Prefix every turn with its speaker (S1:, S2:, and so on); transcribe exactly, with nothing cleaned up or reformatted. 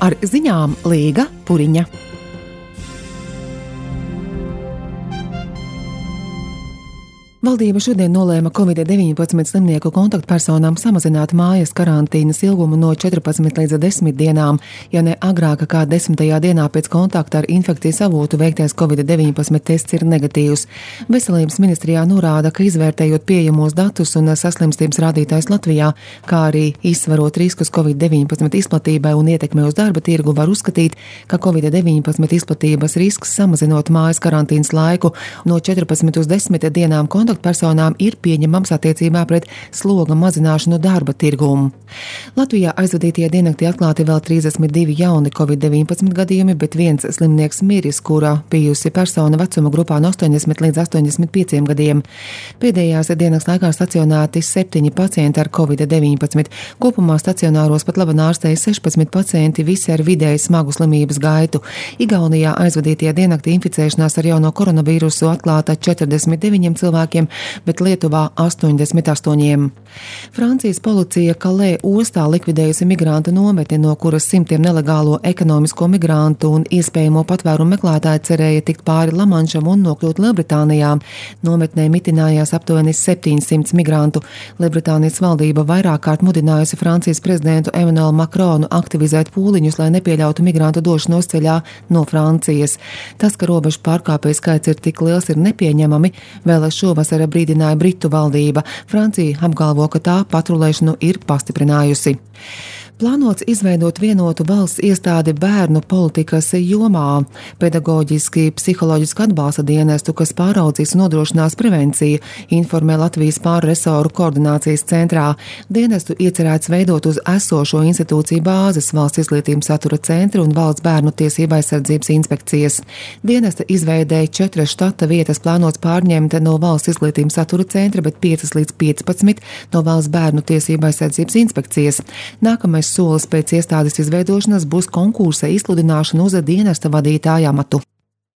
S1: Ar ziņām Līga Puriņa. Valdība šodien nolēma covid deviņpadsmit slimnieku kontaktpersonām samazināt mājas karantīnas ilgumu no četrpadsmit līdz desmit dienām, ja ne agrāk kā desmitajā dienā pēc kontakta ar infekcijas avotu veiktais covid deviņpadsmit tests ir negatīvs. Veselības ministrijā norāda, ka izvērtējot pieejamos datus un saslimstības rādītājus Latvijā, kā arī izsvarot riskus covid deviņpadsmit izplatībai un ietekmei uz darba tirgu, var uzskatīt, ka covid deviņpadsmit izplatības risks samazinot mājas karantīnas laiku no četrpadsmit uz desmit dienām kontaktpersonām personām ir pieņemams attiecībā pret sloga mazināšanu darba tirgumu. Latvijā aizvadītajā diennaktī atklāti vēl trīsdesmit divi jauni covid deviņpadsmit gadījumi, bet viens slimnieks miris, kura bijusi persona vecuma grupā no astoņdesmit līdz astoņdesmit pieciem gadiem. Pēdējās diennakts laikā stacionēti septiņi pacienti ar covid deviņpadsmit. Kopumā stacionāros pat labi ārstēja sešpadsmit pacienti, visi ar vidēji smagu slimības gaitu. Igaunijā aizvadītajā diennaktī inficēšanās ar jauno koronavīrusu atklāta četrdesmit deviņiem cilvēkiem, bet Lietuvā astoņdesmit astoņiem. Francijas policija Kalē ostā likvidējusi migrantu nometni, no kuras simtiem nelegālo ekonomisko migrantu un iespējamo patvērumu meklētāju cerēja tikt pāri Lamanšam un nokļūt Lielbritānijā. Nometnē mitinājās aptuveni septiņsimt migrantu. Lielbritānijas valdība vairāk kārt mudinājusi Francijas prezidentu Emmanuelu Macronu aktivizēt pūliņus, lai nepieļautu migrantu došanos ceļā no Francijas. Tas, ka robežu pārkāpēju skaits ir tik liels, ir nepieņemami. Vēl šovasar brīdināja Britu valdība. Francija apgalvo, ka tā patrulēšanu ir pastiprinājusi. Plānots izveidot vienotu valsts iestādi bērnu politikas jomā, pedagoģiski psiholoģisku atbalsta dienestu, kas pāraudzīs un nodrošinās prevenciju, informē Latvijas pārresoru koordinācijas centrā. Dienestu iecerēts veidot uz esošo institūciju bāzes Valsts izglītības satura centra un Valsts bērnu tiesību aizsardzības inspekcijas. Dienesta izveidēja četras štata vietas plānots pārņemt no Valsts izglītības satura centra, bet piecas līdz piecpadsmit no Valsts bērnu tiesību aizsardzības inspekcijas. Nākamais solis pēc iestādes izveidošanas būs konkursa izsludināšana uz dienesta vadītāja amatu.